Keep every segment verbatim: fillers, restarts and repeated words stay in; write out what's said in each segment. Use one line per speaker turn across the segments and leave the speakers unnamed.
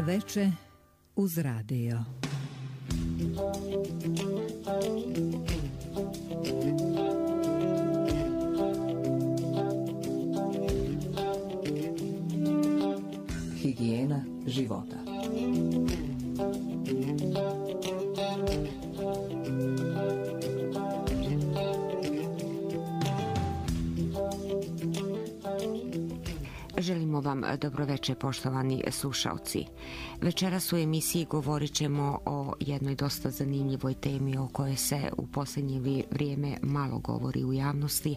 Veče uz radio.
Higijena života.
Želimo vam dobroveče, poštovani slušaoci. Večeras u emisiji govorit ćemo o jednoj dosta zanimljivoj temi o kojoj se u posljednje vrijeme malo govori u javnosti,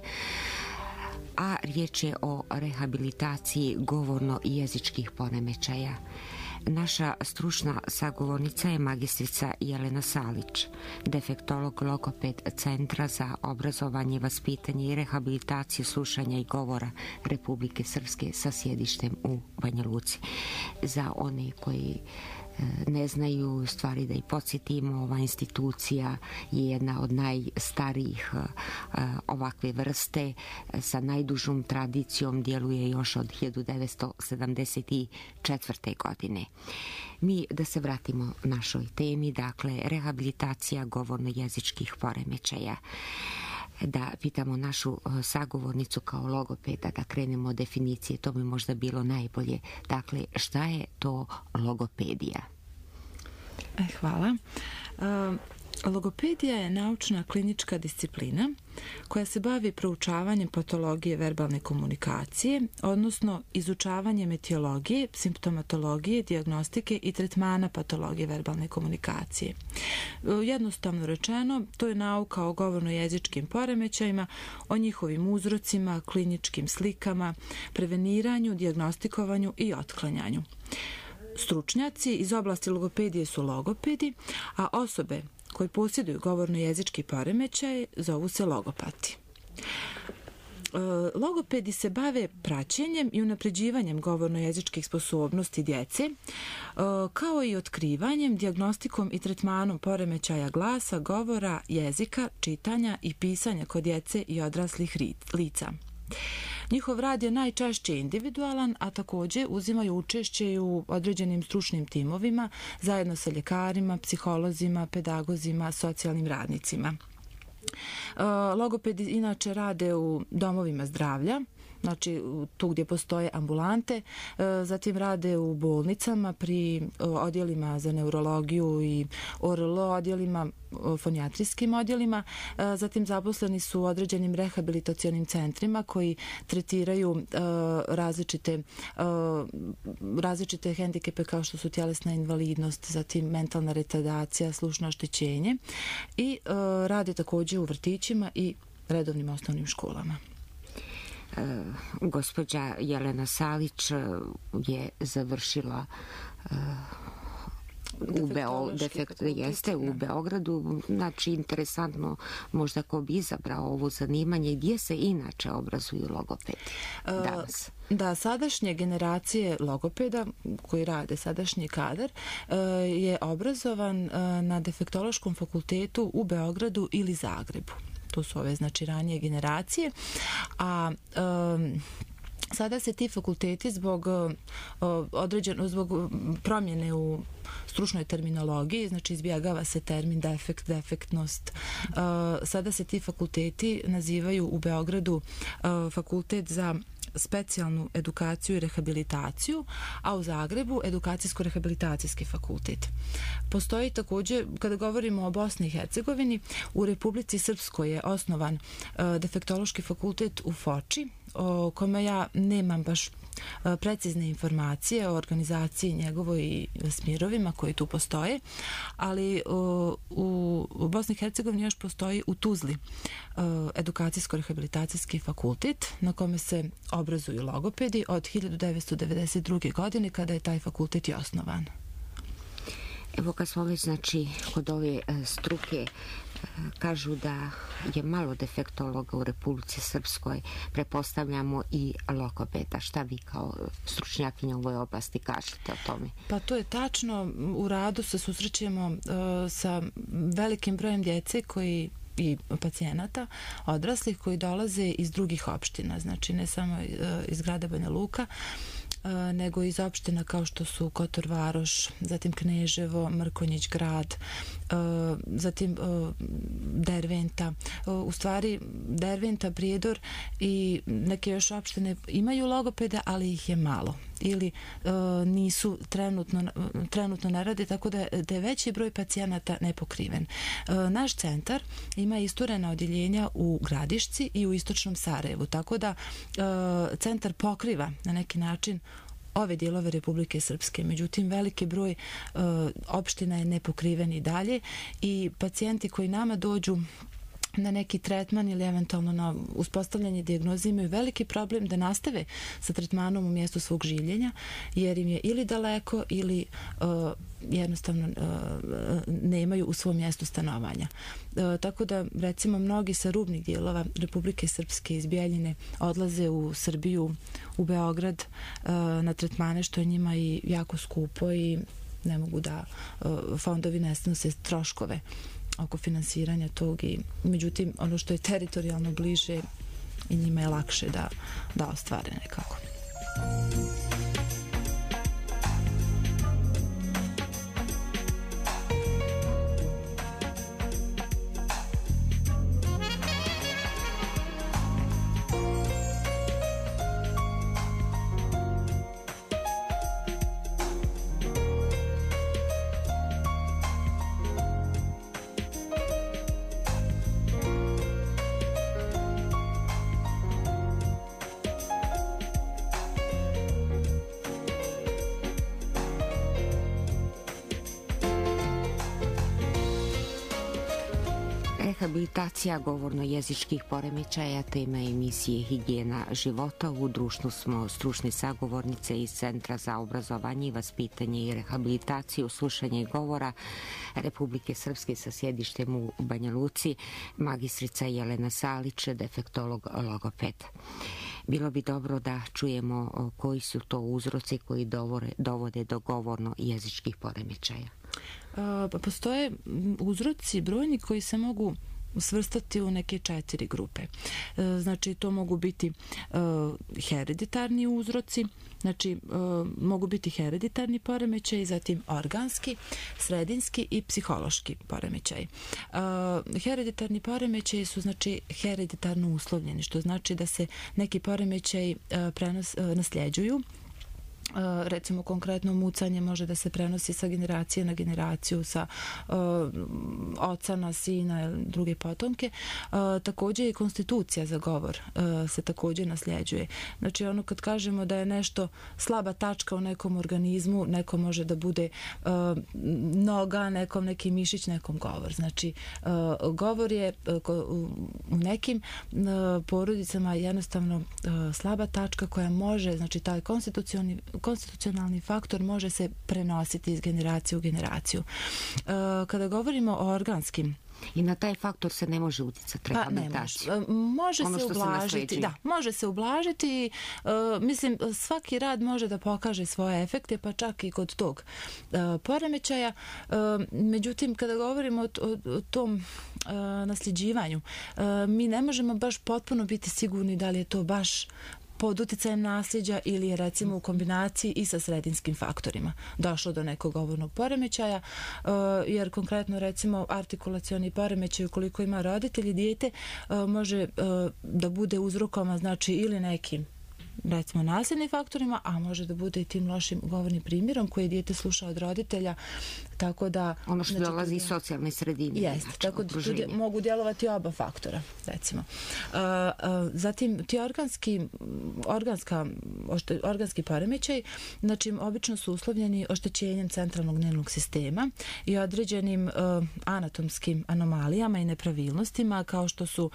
a riječ je o rehabilitaciji govorno-jezičkih poremećaja. Naša stručna sagovornica je magistrica Jelena Salić, defektolog logoped Centra za obrazovanje, vaspitanje i rehabilitaciju slušanja i govora Republike Srpske sa sjedištem u Banja Luci. Za one koji ne znaju, stvari da i podsjetimo, ova institucija je jedna od najstarijih ovakve vrste sa najdužom tradicijom, djeluje još od hiljadu devetsto sedamdeset četvrte. godine. Mi da se vratimo našoj temi, dakle rehabilitacija govorno-jezičkih poremećaja. Da pitamo našu sagovornicu kao logopeda, da krenemo od definicije, to bi možda bilo najbolje. Dakle, šta je to logopedija?
E, hvala. E, logopedija je naučna klinička disciplina koja se bavi proučavanjem patologije verbalne komunikacije, odnosno izučavanjem etiologije, simptomatologije, dijagnostike i tretmana patologije verbalne komunikacije. Jednostavno rečeno, to je nauka o govorno-jezičkim poremećajima, o njihovim uzrocima, kliničkim slikama, preveniranju, dijagnostikovanju i otklanjanju. Stručnjaci iz oblasti logopedije su logopedi, a osobe koji posjeduju govorno-jezički poremećaj zovu se logopati. Logopedi se bave praćenjem i unapređivanjem govorno-jezičkih sposobnosti djece, kao i otkrivanjem, dijagnostikom i tretmanom poremećaja glasa, govora, jezika, čitanja i pisanja kod djece i odraslih lica. Njihov rad je najčešće individualan, a također uzimaju učešće i u određenim stručnim timovima zajedno sa ljekarima, psiholozima, pedagozima, socijalnim radnicima. Logopedi inače rade u domovima zdravlja, znači tu gdje postoje ambulante, zatim rade u bolnicama pri odjelima za neurologiju i O R L odjelima, fonijatrijskim odjelima, zatim zaposleni su u određenim rehabilitacionim centrima koji tretiraju različite različite hendikepe kao što su tjelesna invalidnost, zatim mentalna retardacija, slušno oštećenje i rade također u vrtićima i redovnim osnovnim školama.
Uh, gospođa Jelena Salić je završila uh, u, Beo, defekt, jeste, u Beogradu. Znači, interesantno možda ko bi izabrao ovo zanimanje. Gdje se inače obrazuju logopedi danas?
Da, sadašnje generacije logopeda koji rade, sadašnji kadar, je obrazovan na defektološkom fakultetu u Beogradu ili Zagrebu. To su ove, znači, ranije generacije, a um, sada se ti fakulteti zbog uh, određeno, zbog promjene u stručnoj terminologiji, znači izbjegava se termin defekt, defektnost. Uh, sada se ti fakulteti nazivaju u Beogradu uh, fakultet za specijalnu edukaciju i rehabilitaciju, a u Zagrebu edukacijsko-rehabilitacijski fakultet. Postoji također, kada govorimo o Bosni i Hercegovini, u Republici Srpskoj je osnovan uh, defektološki fakultet u Foči, o kome ja nemam baš precizne informacije o organizaciji njegovoj i smjerovima koji tu postoje, ali u, u Bosni i Hercegovini još postoji u Tuzli edukacijsko-rehabilitacijski fakultet na kome se obrazuju logopedi od hiljadu devetsto devedeset druge. godine kada je taj fakultet i osnovan.
Evo kad smo već, znači, kod ove struke, kažu da je malo defektologa u Republici Srpskoj, prepostavljamo i logopeda. Šta vi kao stručnjakinja u ovoj oblasti kažete o tome?
Pa to je tačno. U radu se susrećemo uh, sa velikim brojem djece koji i pacijenata odraslih koji dolaze iz drugih opština, znači ne samo iz grada Banja Luka, nego iz opština kao što su Kotor Varoš, zatim Kneževo, Mrkonjić grad, zatim Derventa. U stvari Derventa, Prijedor i neke još opštine imaju logopeda, ali ih je malo ili nisu trenutno, trenutno ne rade, tako da, da je veći broj pacijenata nepokriven. Naš centar ima isturena odjeljenja u Gradišci i u istočnom Sarajevu, tako da centar pokriva na neki način ove dijelove Republike Srpske. Međutim, veliki broj uh, opština je nepokriven i dalje i pacijenti koji nama dođu na neki tretman ili eventualno na uspostavljanje dijagnoze imaju veliki problem da nastave sa tretmanom u mjestu svog življenja, jer im je ili daleko ili uh, jednostavno uh, nemaju u svom mjestu stanovanja. Uh, tako da, recimo, mnogi sa rubnih dijelova Republike Srpske iz Bijeljine odlaze u Srbiju, u Beograd uh, na tretmane, što je njima i jako skupo i ne mogu da uh, fondovi ne snose troškove oko finansiranja tog i međutim ono što je teritorijalno bliže i njima je lakše da, da ostvare nekako.
Rehabilitacija govorno-jezičkih poremećaja, tema emisije Higijena života. U društvu smo stručne sagovornice iz Centra za obrazovanje i vaspitanje i rehabilitaciju slušanja i govora Republike Srpske sa sjedištem u Banja Luci, magistrica Jelena Salić, defektolog logoped. Bilo bi dobro da čujemo koji su to uzroci koji dovode do govorno-jezičkih poremećaja.
Pa postoje uzroci brojni koji se mogu svrstati u neke četiri grupe. Znači, to mogu biti hereditarni uzroci, znači mogu biti hereditarni poremećaj, zatim organski, sredinski i psihološki poremećaj. Hereditarni poremećaj su znači hereditarno uslovljeni, što znači da se neki poremećaj prenos, nasljeđuju. Recimo, konkretno mucanje može da se prenosi sa generacije na generaciju, sa uh, oca na sina ili druge potomke. Uh, također i konstitucija za govor uh, se također nasljeđuje. Znači, ono kad kažemo da je nešto slaba tačka u nekom organizmu, neko može da bude uh, noga, nekom neki mišić, nekom govor. Znači, uh, govor je uh, u nekim uh, porodicama jednostavno uh, slaba tačka koja može, znači taj konstitucionalni konstitucionalni faktor može se prenositi iz generacije u generaciju. Kada govorimo o organskim,
i na taj faktor se ne može utjecati rehabilitaciju.
Pa ne može. Može ono se ublažiti. Se da, može se ublažiti. Uh, mislim, svaki rad može da pokaže svoje efekte, pa čak i kod tog uh, poremećaja. Uh, međutim, kada govorimo o, o, o tom uh, nasljeđivanju, uh, mi ne možemo baš potpuno biti sigurni da li je to baš pod utjecajem nasljeđa ili je recimo u kombinaciji i sa sredinskim faktorima došlo do nekog govornog poremećaja, jer konkretno recimo artikulacioni poremećaj ukoliko ima roditelj i dijete može da bude uzrokovan znači ili nekim recimo nasljednim faktorima, a može da bude i tim lošim govornim primjerom koji dijete sluša od roditelja, tako da
ono što znači, dolazi iz socijalne sredine.
Jeste, znači, tako da tu mogu djelovati oba faktora, recimo. Uh, uh, zatim ti organski organska, ošte, organski poremećaj, znači obično su uslovljeni oštećenjem centralnog nervnog sistema i određenim uh, anatomskim anomalijama i nepravilnostima, kao što su uh,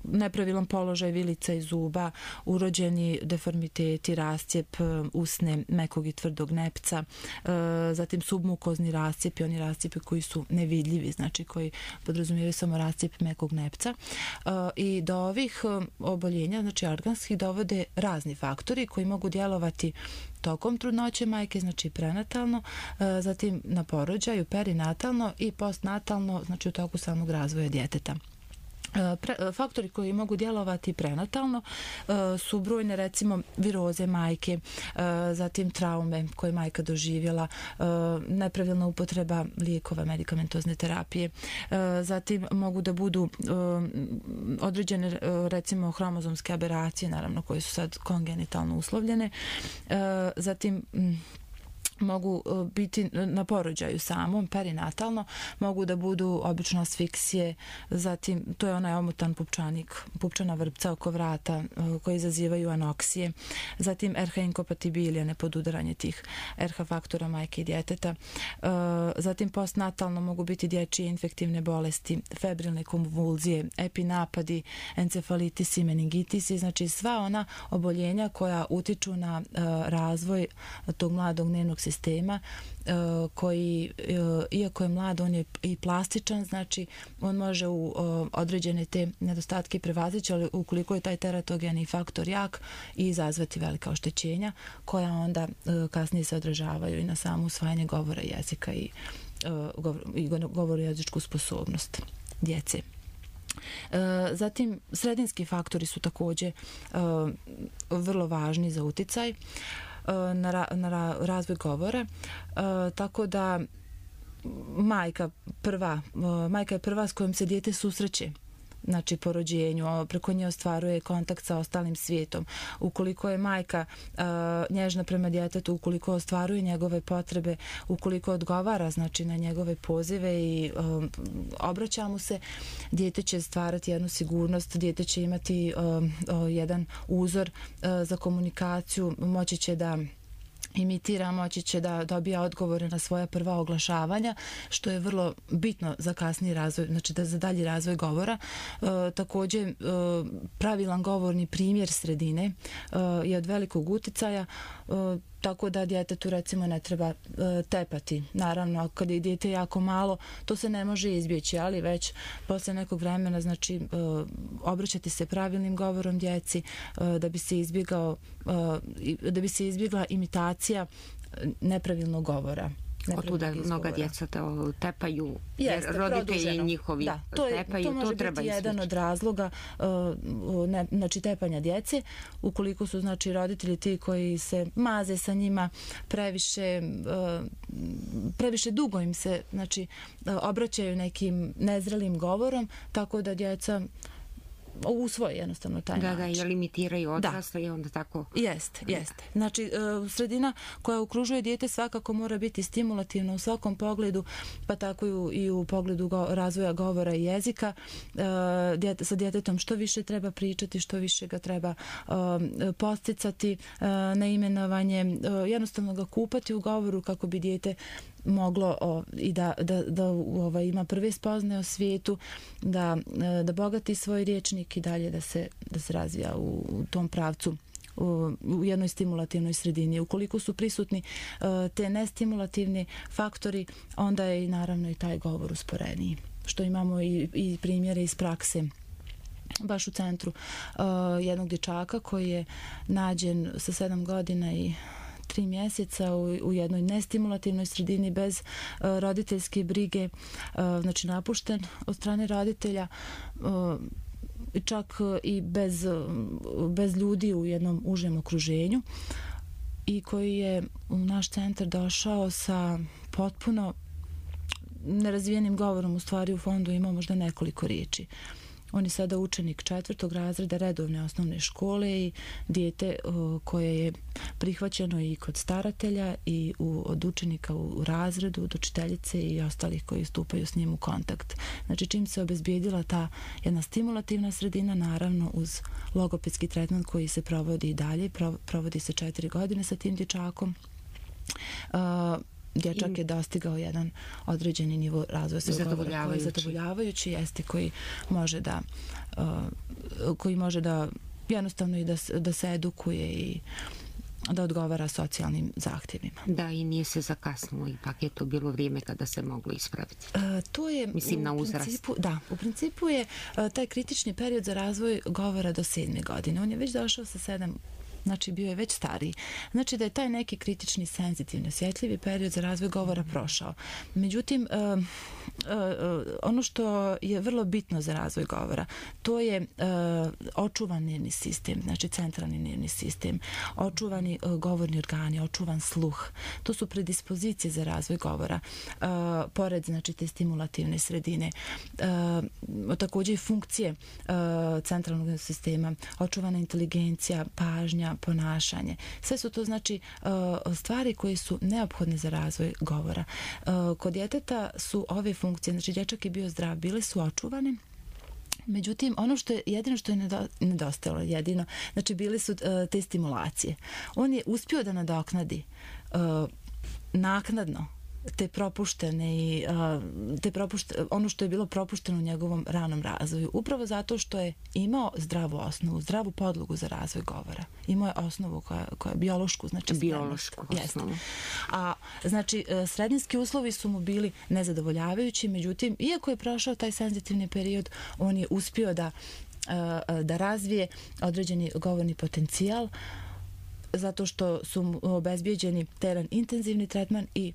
nepravilan položaj vilica i zuba, urođeni deformiteti, rascijep usne, mekog i tvrdog nepca, uh, zatim submukozni rascijepi, oni rascijepi koji su nevidljivi, znači koji podrazumijevaju samo rascijep mekog nepca. Uh, I do ovih uh, oboljenja, znači organskih, dovode razni faktori koji mogu djelovati tokom trudnoće majke, znači prenatalno, uh, zatim na porođaju, perinatalno i postnatalno, znači u toku samog razvoja djeteta. Pre, faktori koji mogu djelovati prenatalno su brojne, recimo viroze majke, zatim traume koje majka doživjela, nepravilna upotreba lijekova, medikamentozne terapije, zatim mogu da budu određene, recimo hromozomske aberacije, naravno koje su sad kongenitalno uslovljene, zatim mogu biti na porođaju samom, perinatalno, mogu da budu obično asfiksije, zatim to je onaj omotan pupčanik, pupčana vrpca oko vrata koji izazivaju anoksije, zatim er ha inkompatibilija, nepodudaranje tih er ha faktora majke i djeteta, zatim postnatalno mogu biti dječje infektivne bolesti, febrilne konvulzije, epinapadi, encefalitisi, meningitisi, znači sva ona oboljenja koja utiču na razvoj tog mladog nervnog sistema koji, iako je mlad, on je i plastičan, znači on može u određene te nedostatke prevazići, ali ukoliko je taj teratogeni faktor jak i izazvati velika oštećenja koja onda kasnije se odražavaju i na samo usvajanje govora jezika i, i govoru jezičku sposobnost djece. Zatim, sredinski faktori su također vrlo važni za uticaj na, ra, na ra, razvoj govora, e, tako da majka prva, majka je prva s kojom se dijete susreće, znači po rođenju, preko nje ostvaruje kontakt sa ostalim svijetom. Ukoliko je majka uh, nježna prema djetetu, ukoliko ostvaruje njegove potrebe, ukoliko odgovara znači na njegove pozive i um, obraća mu se, dijete će stvarati jednu sigurnost, dijete će imati um, um, jedan uzor uh, za komunikaciju, moći će da imitira, moći će da dobija odgovore na svoja prva oglašavanja, što je vrlo bitno za kasniji razvoj, znači da za dalji razvoj govora. E, također, e, pravilan govorni primjer sredine e, je od velikog uticaja, e, tako da djetetu recimo ne treba e, tepati. Naravno, kad je dijete jako malo, to se ne može izbjeći, ali već posle nekog vremena, znači, e, obraćati se pravilnim govorom djeci, e, da bi se izbjegao, e, da bi se izbjegla imitacija nepravilnog govora.
Otuda mnoga djeca tepaju, jer roditelji njihovi
da, to je,
tepaju,
to može
to treba
biti jedan od razloga uh, ne, znači tepanja djece, ukoliko su znači roditelji ti koji se maze sa njima previše, uh, previše dugo im se znači uh, obraćaju nekim nezrelim govorom, tako da djeca usvoje jednostavno taj
da,
način.
Da, jer imitiraju odrasle i onda tako...
Jeste, jeste. Znači, sredina koja okružuje dijete svakako mora biti stimulativna u svakom pogledu, pa tako i u, i u pogledu go, razvoja govora i jezika. Djete, sa djetetom što više treba pričati, što više ga treba posticati na imenovanje, jednostavno ga kupati u govoru kako bi dijete moglo o, i da, da, da ovaj, ima prve spoznaje o svijetu, da, da bogati svoj riječnik i dalje da se, da se razvija u, u tom pravcu u, u jednoj stimulativnoj sredini. Ukoliko su prisutni uh, te nestimulativni faktori, onda je i naravno i taj govor usporeniji. Što imamo i, i primjere iz prakse. Baš u centru uh, jednog dječaka koji je nađen sa sedam godina i tri mjeseca u, u jednoj nestimulativnoj sredini bez uh, roditeljske brige, uh, znači napušten od strane roditelja, uh, čak uh, i bez, uh, bez ljudi u jednom užem okruženju, i koji je u naš centar došao sa potpuno nerazvijenim govorom, u stvari u fondu imao možda nekoliko riječi. On je sada učenik četvrtog razreda redovne osnovne škole i dijete uh, koje je prihvaćeno i kod staratelja i u, od učenika u razredu, od učiteljice i ostalih koji stupaju s njim u kontakt. Znači, čim se obezbijedila ta jedna stimulativna sredina, naravno uz logopedski tretman koji se provodi i dalje, provodi se četiri godine sa tim dječakom, uh, dječak je dostigao jedan određeni nivo razvoja svog govora koji je zadovoljavajući, jeste koji može da uh, koji može da jednostavno i da, da se edukuje i da odgovara socijalnim zahtjevima.
Da, i nije se zakasnilo, ipak je to bilo vrijeme kada se moglo ispraviti.
Uh, to je,
mislim, na uzrast.
Principu, da, u principu je uh, taj kritični period za razvoj govora do sedme godine. On je već došao sa sedam znači bio je već stariji. Znači da je taj neki kritični, senzitivni, osjetljivi period za razvoj govora prošao. Međutim, uh, uh, uh, ono što je vrlo bitno za razvoj govora, to je uh, očuvan nervni sistem, znači centralni nervni sistem, očuvani uh, govorni organi, očuvan sluh. To su predispozicije za razvoj govora. Uh, pored, znači, te stimulativne sredine. Uh, također i funkcije uh, centralnog sistema, očuvana inteligencija, pažnja, ponašanje. Sve su to, znači, uh, stvari koje su neophodne za razvoj govora. Uh, kod djeteta su ove funkcije, znači dječak je bio zdrav, bile su očuvane. Međutim, ono što je jedino što je nedostajalo, jedino, znači bile su uh, te stimulacije. On je uspio da nadoknadi uh, naknadno te propuštene i uh, te propušte, ono što je bilo propušteno u njegovom ranom razvoju, upravo zato što je imao zdravu osnovu, zdravu podlogu za razvoj govora. Imao je osnovu koja, koja je biološku, znači
biološku osnovu.
A znači srednjinski uslovi su mu bili nezadovoljavajući, međutim, iako je prošao taj senzitivni period, on je uspio da, uh, da razvije određeni govorni potencijal, zato što su mu obezbijeđeni teren intenzivni tretman i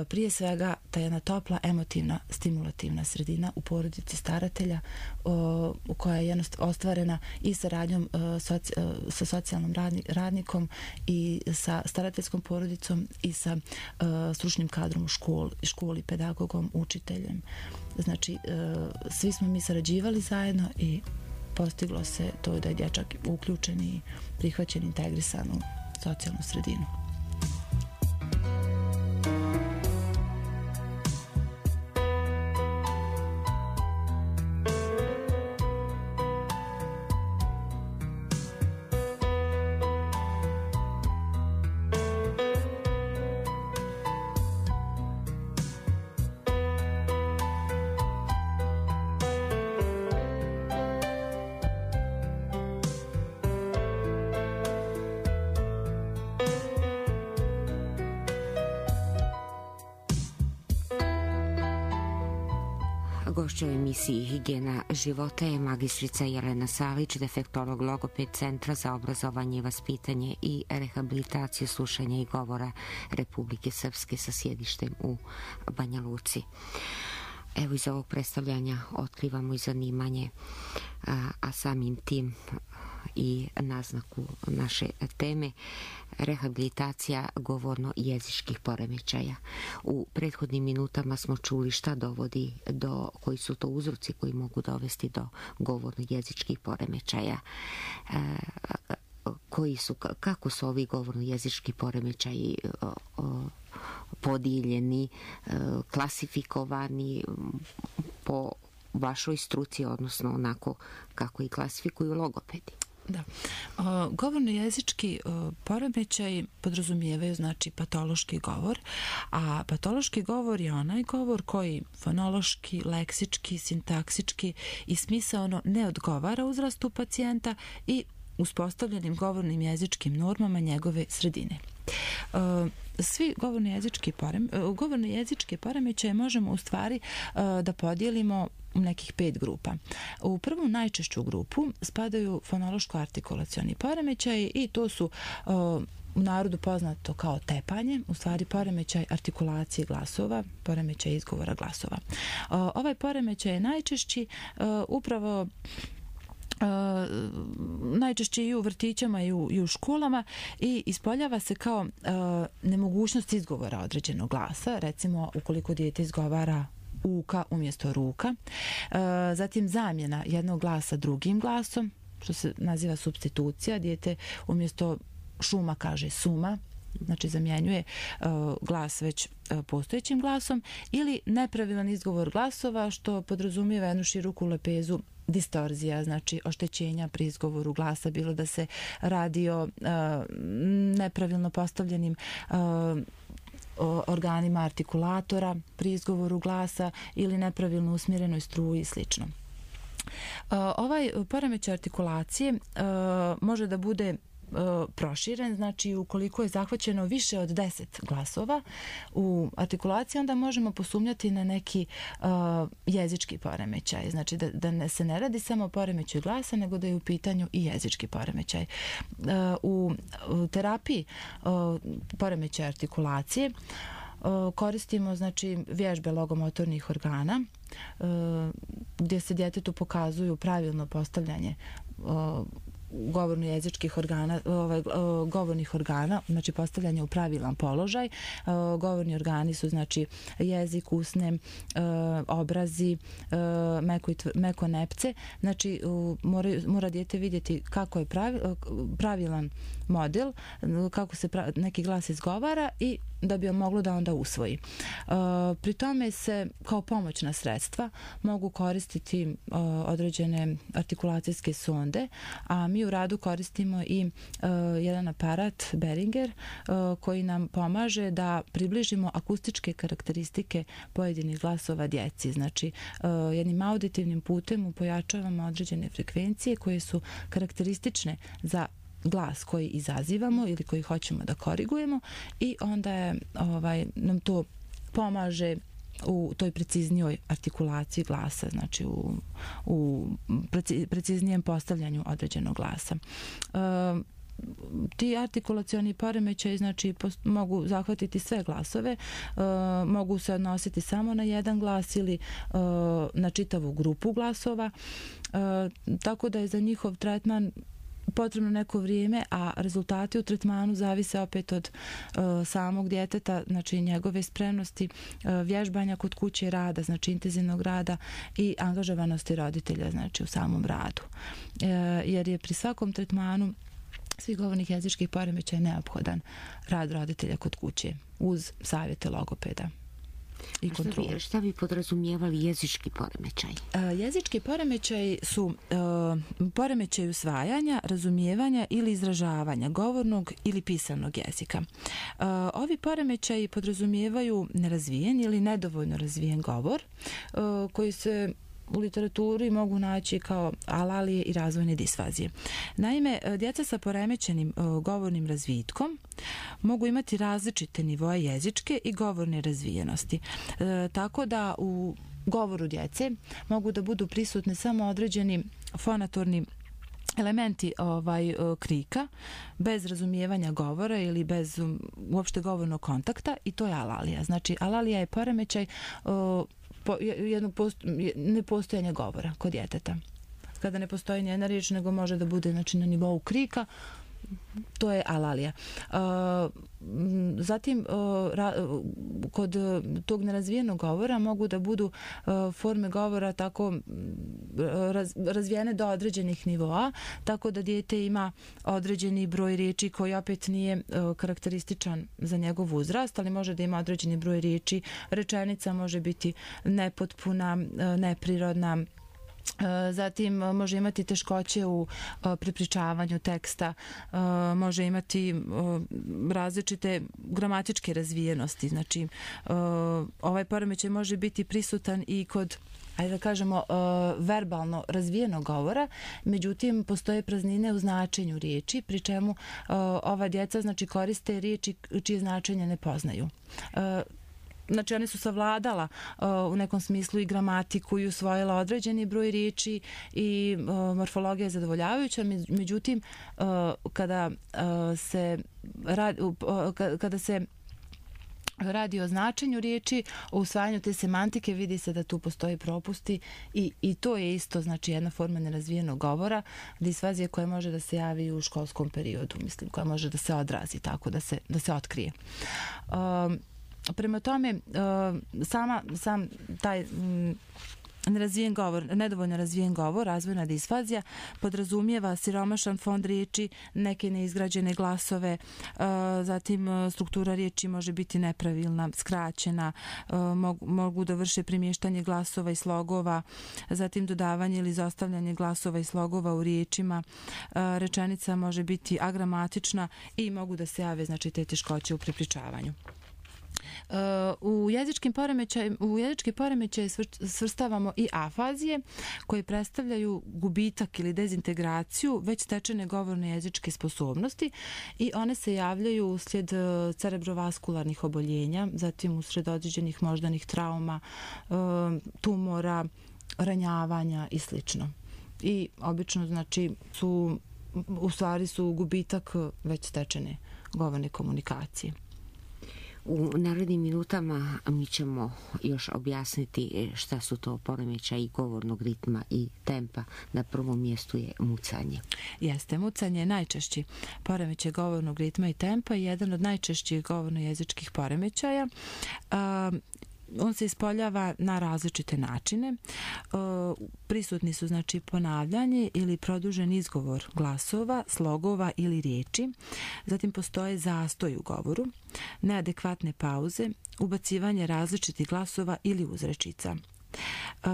prije svega ta jedna topla, emotivna, stimulativna sredina u porodici staratelja o, koja je jednostavno ostvarena i saradnjom o, soci, o, sa socijalnom radni, radnikom i sa starateljskom porodicom i sa o, stručnim kadrom u školi, školi, pedagogom, učiteljem. Znači, o, svi smo mi sarađivali zajedno i postiglo se to da je dječak uključen i prihvaćen, integrisan u socijalnu sredinu.
Gošća u emisiji Higijena života je magistrica Jelena Salić, defektolog logoped Centra za obrazovanje i vaspitanje i rehabilitaciju slušanja i govora Republike Srpske sa sjedištem u Banja Luci. Evo, iz ovog predstavljanja otkrivamo i zanimanje, a, a samim tim i naznaku naše teme, rehabilitacija govorno-jezičkih poremećaja. U prethodnim minutama smo čuli šta dovodi do, koji su to uzroci koji mogu dovesti do govorno-jezičkih poremećaja. E, koji su, kako su ovi govorno-jezički poremećaji o, o, podijeljeni, e, klasifikovani po vašoj struci, odnosno onako kako i klasifikuju logopedi?
Da. O, govorno-jezički poremećaj podrazumijevaju, znači, patološki govor, a patološki govor je onaj govor koji fonološki, leksički, sintaksički i smisaono ne odgovara uzrastu pacijenta i uspostavljenim govornim jezičkim normama njegove sredine. Svi govorno-jezički porem, govorno-jezičke poremećaje možemo u stvari da podijelimo u nekih pet grupa. U prvu najčešću grupu spadaju fonološko-artikulacioni poremećaji i to su u narodu poznato kao tepanje, u stvari poremećaj artikulacije glasova, poremećaj izgovora glasova. Ovaj poremećaj je najčešći upravo Uh, najčešće i u vrtićama i u, i u školama i ispoljava se kao uh, nemogućnost izgovora određenog glasa, recimo ukoliko dijete izgovara uka umjesto ruka, uh, zatim zamjena jednog glasa drugim glasom, što se naziva supstitucija, dijete umjesto šuma kaže suma, znači zamjenjuje uh, glas već uh, postojećim glasom, ili nepravilan izgovor glasova, što podrazumijeva jednu široku lepezu distorzija, znači oštećenja pri izgovoru glasa, bilo da se radi o uh, nepravilno postavljenim uh, organima artikulatora pri izgovoru glasa ili nepravilno usmjerenoj struji i slično. Uh, ovaj poremećaj artikulacije uh, može da bude proširen, znači ukoliko je zahvaćeno više od deset glasova u artikulaciji, onda možemo posumnjati na neki uh, jezički poremećaj. Znači da, da ne, se ne radi samo o poremećaju glasa, nego da je u pitanju i jezički poremećaj. Uh, u, u terapiji uh, poremećaja artikulacije uh, koristimo znači vježbe logomotornih organa uh, gdje se djetetu pokazuju pravilno postavljanje uh, govorno-jezičkih organa, ovaj, govornih organa, znači postavljanje u pravilan položaj. Govorni organi su znači jezik, usne, obrazi, meko, meko nepce. Znači mora, mora dijete vidjeti kako je pravi, pravilan model, kako se pravi, neki glas izgovara i da bi on moglo da onda usvoji. Pri tome se kao pomoćna sredstva mogu koristiti određene artikulacijske sonde, a mi u radu koristimo i uh, jedan aparat Behringer uh, koji nam pomaže da približimo akustičke karakteristike pojedinih glasova djeci. Znači, uh, jednim auditivnim putem pojačavamo određene frekvencije koje su karakteristične za glas koji izazivamo ili koji hoćemo da korigujemo i onda je, ovaj, nam to pomaže u toj preciznijoj artikulaciji glasa, znači u, u preciznijem postavljanju određenog glasa. E, ti artikulacioni poremećaji znači post, mogu zahvatiti sve glasove, e, mogu se odnositi samo na jedan glas ili e, na čitavu grupu glasova, e, tako da je za njihov tretman potrebno neko vrijeme, a rezultati u tretmanu zavise opet od uh, samog djeteta, znači njegove spremnosti, uh, vježbanja kod kuće, rada, znači intenzivnog rada i angažovanosti roditelja, znači u samom radu. Uh, jer je pri svakom tretmanu svih govornih jezičkih poremećaja neophodan rad roditelja kod kuće uz savjete logopeda. I
šta, bi, šta bi podrazumijevali jezički poremećaj?
Uh, jezički poremećaj su uh, poremećaj usvajanja, razumijevanja ili izražavanja govornog ili pisanog jezika. Uh, ovi poremećaji podrazumijevaju nerazvijen ili nedovoljno razvijen govor uh, koji se u literaturi mogu naći kao alalije i razvojne disfazije. Naime, djeca sa poremećenim govornim razvitkom mogu imati različite nivoe jezičke i govorne razvijenosti. E, tako da u govoru djece mogu da budu prisutne samo određeni fonatorni elementi ovaj krika bez razumijevanja govora ili bez um, uopšte govornog kontakta i to je alalija. Znači alalija je poremećaj uh, po, jedno post, nepostojanje govora kod djeteta. Kada ne postoji nijedna riječ nego može da bude znači na nivou krika, to je alalija. Uh, zatim uh, ra, kod tog nerazvijenog govora mogu da budu uh, forme govora tako raz, razvijene do određenih nivoa, tako da dijete ima određeni broj riječi koji opet nije uh, karakterističan za njegov uzrast, ali može da ima određeni broj riječi. Rečenica može biti nepotpuna, uh, neprirodna. Zatim može imati teškoće u prepričavanju teksta, može imati različite gramatičke razvijenosti. Znači, ovaj poremećaj može biti prisutan i kod, ajde da kažemo, verbalno razvijenog govora, međutim, postoje praznine u značenju riječi, pri čemu ova djeca znači, koriste riječi čije značenje ne poznaju. Znači, one su savladala uh, u nekom smislu i gramatiku i usvojila određeni broj riječi i uh, morfologija je zadovoljavajuća, međutim, uh, kada uh, se radi, uh, kada se radi o značenju riječi, o usvajanju te semantike, vidi se da tu postoji propusti i, i to je isto znači jedna forma nerazvijenog govora, disfazija koja može da se javi u školskom periodu, mislim, koja može da se odrazi tako, da se, da se otkrije. Um, Prema tome, sama, sam taj nerazvijen govor, nedovoljno razvijen govor, razvojna disfazija, podrazumijeva siromašan fond riječi, neke neizgrađene glasove, zatim struktura riječi može biti nepravilna, skraćena, mogu, mogu da vrše primještanje glasova i slogova, zatim dodavanje ili izostavljanje glasova i slogova u riječima, rečenica može biti agramatična i mogu da se jave znači, te teškoće u prepričavanju. U jezičkim poremećaj, u jezički poremećaj svrstavamo i afazije koje predstavljaju gubitak ili dezintegraciju već stečene govorne jezičke sposobnosti i one se javljaju uslijed cerebrovaskularnih oboljenja, zatim uslijed određenih moždanih trauma, tumora, ranjavanja i slično. I obično znači su, u stvari su gubitak već stečene govorne komunikacije.
U narednim minutama mi ćemo još objasniti šta su to poremećaji govornog ritma i tempa. Na prvom mjestu je mucanje.
Jeste, mucanje je najčešći poremećaj govornog ritma i tempa i jedan od najčešćih govorno-jezičkih poremećaja. On se ispoljava na različite načine. Prisutni su znači ponavljanje ili produžen izgovor glasova, slogova ili riječi. Zatim postoje zastoj u govoru, neadekvatne pauze, ubacivanje različitih glasova ili uzrečica. Uh,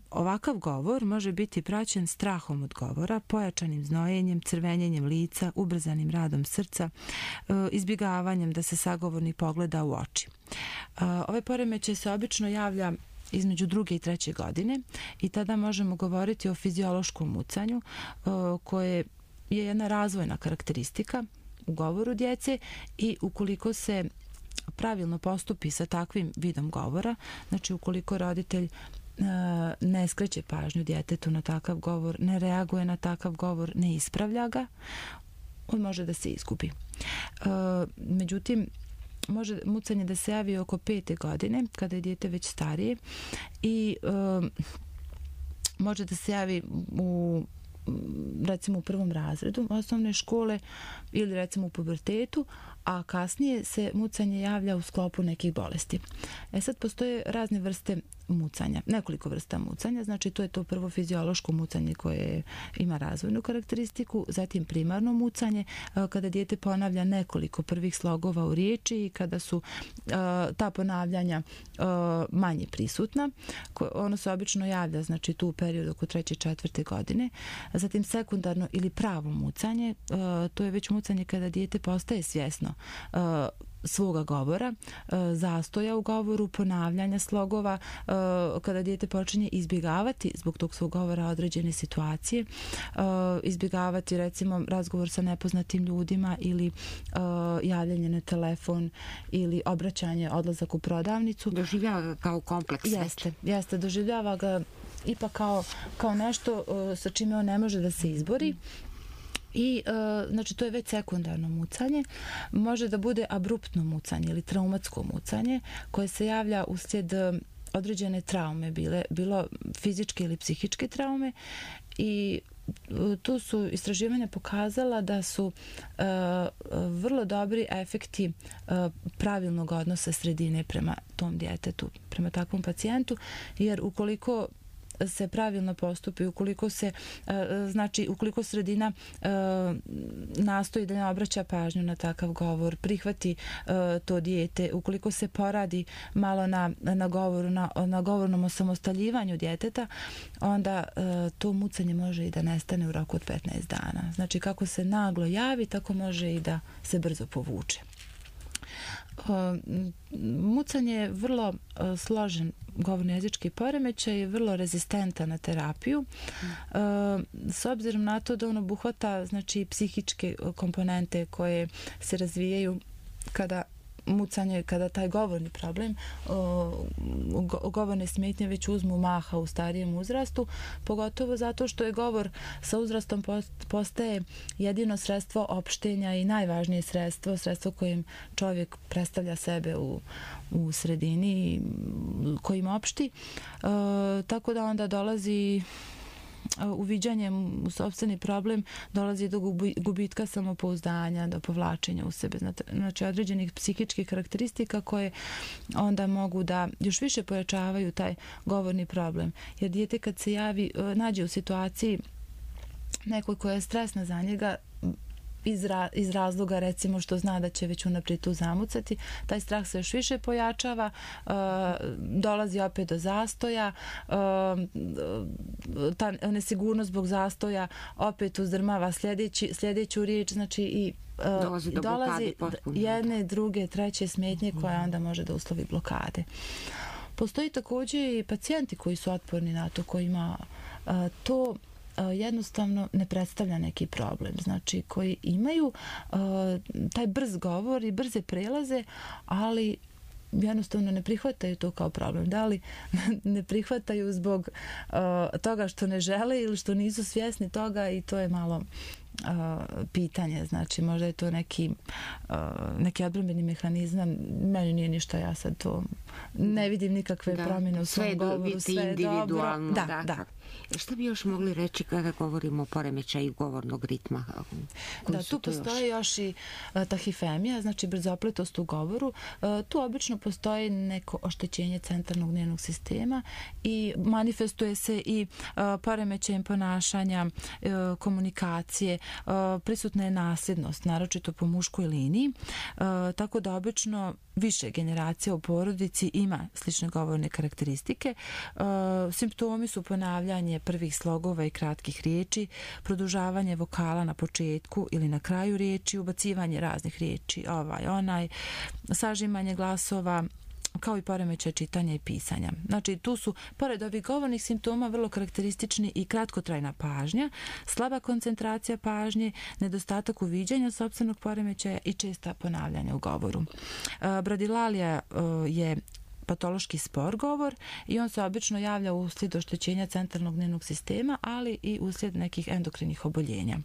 ovakav govor može biti praćen strahom od govora, pojačanim znojenjem, crvenjenjem lica, ubrzanim radom srca, uh, izbjegavanjem da se sagovornik pogleda u oči. Uh, ovaj poremećaj se obično javlja između druge i treće godine i tada možemo govoriti o fiziološkom mucanju uh, koje je jedna razvojna karakteristika u govoru djece i ukoliko se pravilno postupi sa takvim vidom govora, znači ukoliko roditelj ne skreće pažnju djetetu na takav govor, ne reaguje na takav govor, ne ispravlja ga, on može da se izgubi. Međutim, može mucanje da se javi oko pete godine, kada je dijete već starije i može da se javi u recimo u prvom razredu osnovne škole ili recimo u pubertetu, a kasnije se mucanje javlja u sklopu nekih bolesti. E sad postoje razne vrste mucanja, nekoliko vrsta mucanja, znači to je to prvo fiziološko mucanje koje ima razvojnu karakteristiku, zatim primarno mucanje, kada dijete ponavlja nekoliko prvih slogova u riječi i kada su ta ponavljanja manje prisutna. Ono se obično javlja, znači tu u periodu oko treće, četvrte godine. Zatim sekundarno ili pravo mucanje, to je već mucanje kada dijete postaje svjesno svoga govora, zastoja u govoru, ponavljanja slogova, kada dijete počinje izbjegavati zbog tog svog govora određene situacije, izbjegavati recimo razgovor sa nepoznatim ljudima ili javljanje na telefon ili obraćanje, odlazak u prodavnicu.
Doživljava ga kao kompleks.
Jeste, jeste, doživljava ga ipak kao, kao nešto sa čime on ne može da se izbori. I, znači, to je već sekundarno mucanje. Može da bude abruptno mucanje ili traumatsko mucanje koje se javlja uslijed određene traume, bile, bilo fizičke ili psihičke traume i tu su istraživanja pokazala da su uh, vrlo dobri efekti uh, pravilnog odnosa sredine prema tom djetetu, prema takvom pacijentu, jer ukoliko se pravilno postupi, ukoliko se znači ukoliko sredina nastoji da ne obraća pažnju na takav govor, prihvati to dijete, ukoliko se poradi malo na, na govoru, na, na govornom osamostaljivanju djeteta, onda to mucanje može i da nestane u roku od petnaest dana. Znači kako se naglo javi, tako može i da se brzo povuče. Mucanje je vrlo složen govorno-jezički poremećaj, je vrlo rezistentan na terapiju. Mm. S obzirom na to da on obuhvata znači psihičke komponente koje se razvijaju kada mucanje, kada taj govorni problem, govorne smetnje već uzmu maha u starijem uzrastu, pogotovo zato što je govor sa uzrastom postaje jedino sredstvo opštenja i najvažnije sredstvo, sredstvo kojim čovjek predstavlja sebe u, u sredini kojim opšti. Tako da onda dolazi uviđanjem u sopstveni problem, dolazi do gubitka samopouzdanja, do povlačenja u sebe, znači određenih psihičkih karakteristika koje onda mogu da još više pojačavaju taj govorni problem. Jer dijete kad se javi, nađe u situaciji nekoj koja je stresna za njega, iz, ra, iz razloga recimo što zna da će već unaprijed tu zamucati, taj strah se još više pojačava, uh, dolazi opet do zastoja, uh, ta nesigurnost zbog zastoja opet uzdrmava sljedeći, sljedeću riječ, znači i uh,
dolazi, do
dolazi jedne, druge, treće smetnje koja onda može da uslovi blokade. Postoji također i pacijenti koji su otporni na to, kojima uh, to jednostavno ne predstavlja neki problem. Znači, koji imaju uh, taj brz govor i brze prelaze, ali jednostavno ne prihvataju to kao problem. Da li ne prihvataju zbog uh, toga što ne žele ili što nisu svjesni toga, i to je malo Uh, pitanje, znači možda je to neki uh, neki odbrambeni mehanizam, meni nije ništa, ja sad to ne vidim nikakve
da,
promjene u svom govoru, sve je
individualno,
dobro.
Da,
da,
da. Šta bi još mogli reći kada govorimo o poremećaju govornog ritma?
Da, tu postoji još, još i uh, tahifemija, znači brzopletost u govoru. Uh, tu obično postoji neko oštećenje centralnog nervnog sistema i manifestuje se i uh, poremećajem ponašanja, uh, komunikacije. Uh, prisutna je nasljednost, naročito po muškoj liniji, uh, tako da obično više generacija u porodici ima slične govorne karakteristike. Uh, simptomi su ponavljanje prvih slogova i kratkih riječi, produžavanje vokala na početku ili na kraju riječi, ubacivanje raznih riječi, ovaj, onaj, sažimanje glasova, kao i poremećaj čitanja i pisanja. Znači, tu su, pored ovih govornih simptoma, vrlo karakteristični i kratkotrajna pažnja, slaba koncentracija pažnje, nedostatak uviđanja sopstvenog poremećaja i česta ponavljanja u govoru. Bradilalija je patološki spor govor i on se obično javlja uslijed oštećenja centralnog nervnog sistema, ali i uslijed nekih endokrinih oboljenja.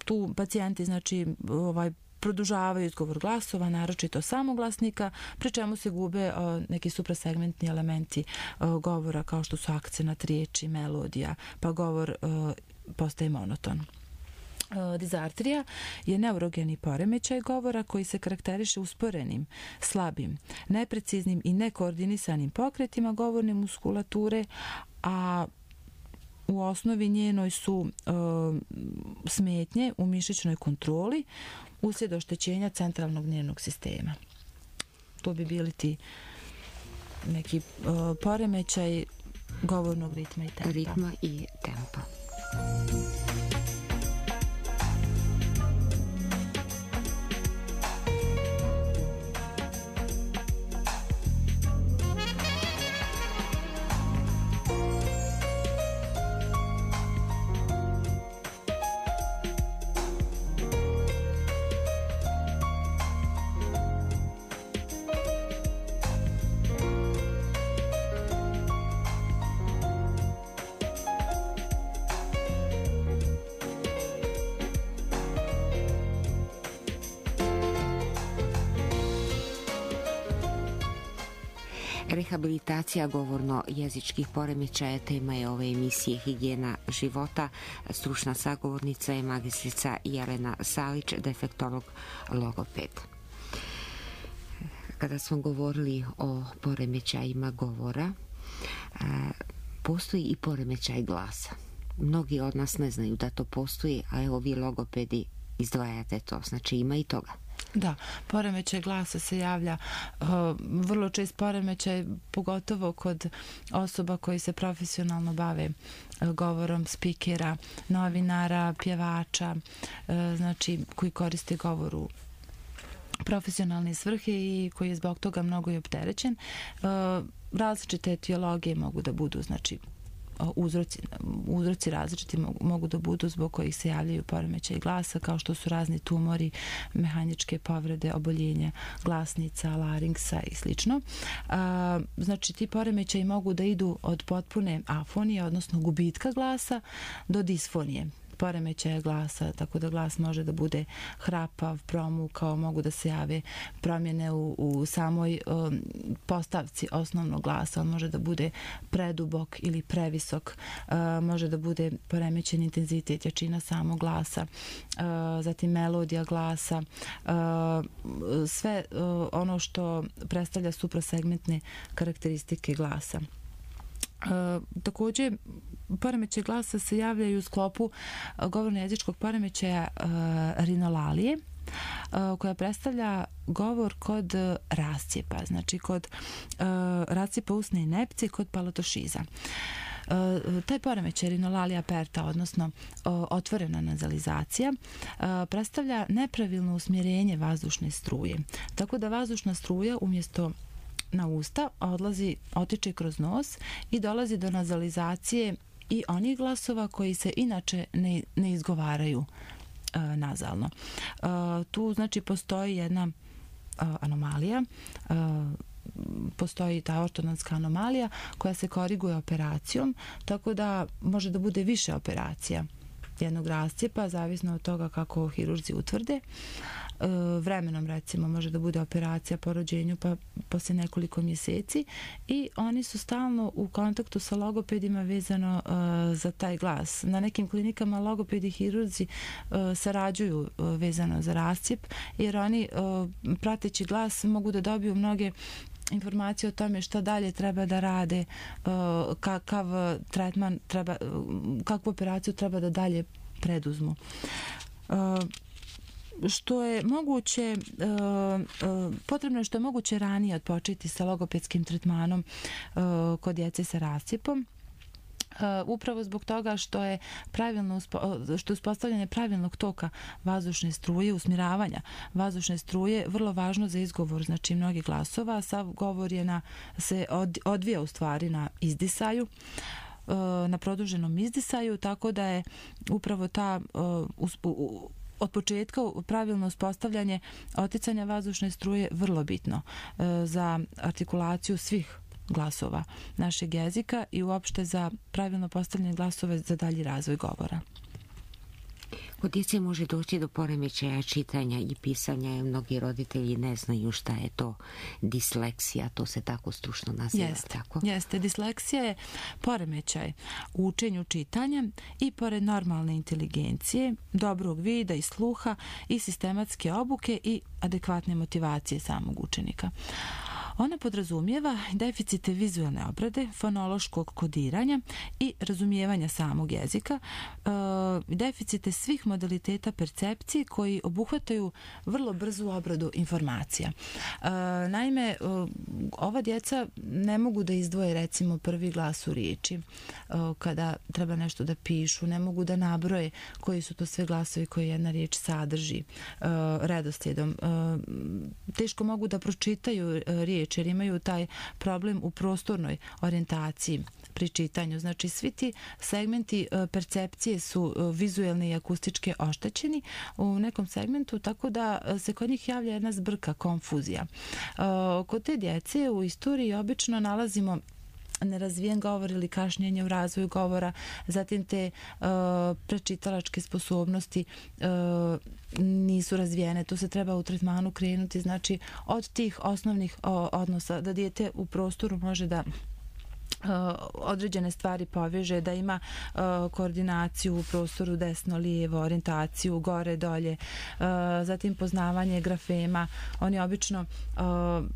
Tu pacijenti, znači, ovaj, produžavaju izgovor glasova, naročito samoglasnika, pri čemu se gube o, neki suprasegmentni elementi o, govora, kao što su akcenat riječi, melodija, pa govor o, postaje monoton. O, dizartrija je neurogeni poremećaj govora koji se karakteriše usporenim, slabim, nepreciznim i nekoordinisanim pokretima govorne muskulature, a u osnovi njenoj su e, smetnje u mišićnoj kontroli uslijed oštećenja centralnog nervnog sistema. To bi bili ti neki e, poremećaj govornog ritma i tempa.
Ritma i tempa. Rehabilitacija govorno-jezičkih poremećaja tema je ove emisije Higijena života. Stručna sagovornica je magistrica Jelena Salić, defektolog logoped. Kada smo govorili o poremećajima govora, postoji i poremećaj glasa. Mnogi od nas ne znaju da to postoji, a evo vi logopedi izdvajate to, znači ima i toga.
Da, poremećaj glasa se javlja uh, vrlo čest poremećaj, pogotovo kod osoba koji se profesionalno bave uh, govorom, spikera, novinara, pjevača, uh, znači koji koriste govor u profesionalne svrhe i koji je zbog toga mnogo i opterećen. Uh, različite etiologije mogu da budu, znači uzroci, uzroci različiti mogu da budu zbog kojih se javljaju poremećaj glasa, kao što su razni tumori, mehaničke povrede, oboljenja glasnica, laringsa i slično. Znači, ti poremećaji mogu da idu od potpune afonije, odnosno gubitka glasa, do disfonije, poremećaja glasa, tako da glas može da bude hrapav, promukao, mogu da se jave promjene u, u samoj um, postavci osnovnog glasa, on može da bude predubok ili previsok, uh, može da bude poremećen intenzitet, jačina samog glasa, uh, zatim melodija glasa, uh, sve uh, ono što predstavlja suprasegmentne karakteristike glasa. Uh, također poremećaj glasa se javljaju u sklopu govorno-jezičkog poremećaja rinolalije, koja predstavlja govor kod rascijepa, znači kod rascijepa usne inepcije, kod palotošiza. Taj poremećaj rinolalija aperta, odnosno otvorena nazalizacija, predstavlja nepravilno usmjerenje vazdušne struje. Tako da vazdušna struja umjesto na usta odlazi, otiče kroz nos i dolazi do nazalizacije i onih glasova koji se inače ne, ne izgovaraju nazalno. Tu znači postoji jedna anomalija, postoji ta ortodontska anomalija koja se koriguje operacijom, tako da može da bude više operacija jednog rascijepa, zavisno od toga kako hirurzi utvrde. Vremenom, recimo, može da bude operacija po rođenju pa posle nekoliko mjeseci i oni su stalno u kontaktu sa logopedima vezano uh, za taj glas. Na nekim klinikama logopedi i hirurzi uh, sarađuju uh, vezano za rascijep, jer oni uh, prateći glas mogu da dobiju mnoge informacije o tome šta dalje treba da rade, uh, kakav tretman treba, uh, kakvu operaciju treba da dalje preduzmu. Uh, što je moguće, potrebno je što je moguće ranije odpočeti sa logopedskim tretmanom kod djece sa rascijepom, upravo zbog toga što je pravilno što je uspostavljanje pravilnog toka vazdušne struje, usmjeravanja vazdušne struje vrlo važno za izgovor, znači mnogih glasova. Sav govor je na, se odvija u stvari na izdisaju, na produženom izdisaju, tako da je upravo ta od početka pravilno uspostavljanje oticanja vazdušne struje vrlo bitno za artikulaciju svih glasova našeg jezika i uopšte za pravilno postavljanje glasova za dalji razvoj govora.
Kod djece može doći do poremećaja čitanja i pisanja, jer mnogi roditelji ne znaju šta je to disleksija, to se tako stručno naziva.
Jeste,
tako?
Jeste. Disleksija je poremećaj u učenju čitanja i pored normalne inteligencije, dobrog vida i sluha i sistematske obuke i adekvatne motivacije samog učenika. Ona podrazumijeva deficite vizualne obrade, fonološkog kodiranja i razumijevanja samog jezika, deficite svih modaliteta percepcije koji obuhvataju vrlo brzu obradu informacija. Naime, ova djeca ne mogu da izdvoje recimo prvi glas u riječi kada treba nešto da pišu, ne mogu da nabroje koji su to sve glasovi koje jedna riječ sadrži redoslijedom. Teško mogu da pročitaju riječ jer imaju taj problem u prostornoj orijentaciji pri čitanju. Znači, svi ti segmenti percepcije su vizuelni i akustički oštećeni u nekom segmentu, tako da se kod njih javlja jedna zbrka, konfuzija. Kod te djece u istoriji obično nalazimo nerazvijen govor ili kašnjenje u razvoju govora, zatim te uh, prečitalačke sposobnosti uh, nisu razvijene. Tu se treba u tretmanu krenuti, znači od tih osnovnih o, odnosa, da dijete u prostoru može da Uh, određene stvari poveže, da ima uh, koordinaciju u prostoru desno-lijevo, orijentaciju gore, dolje, uh, zatim poznavanje grafema. Oni obično uh,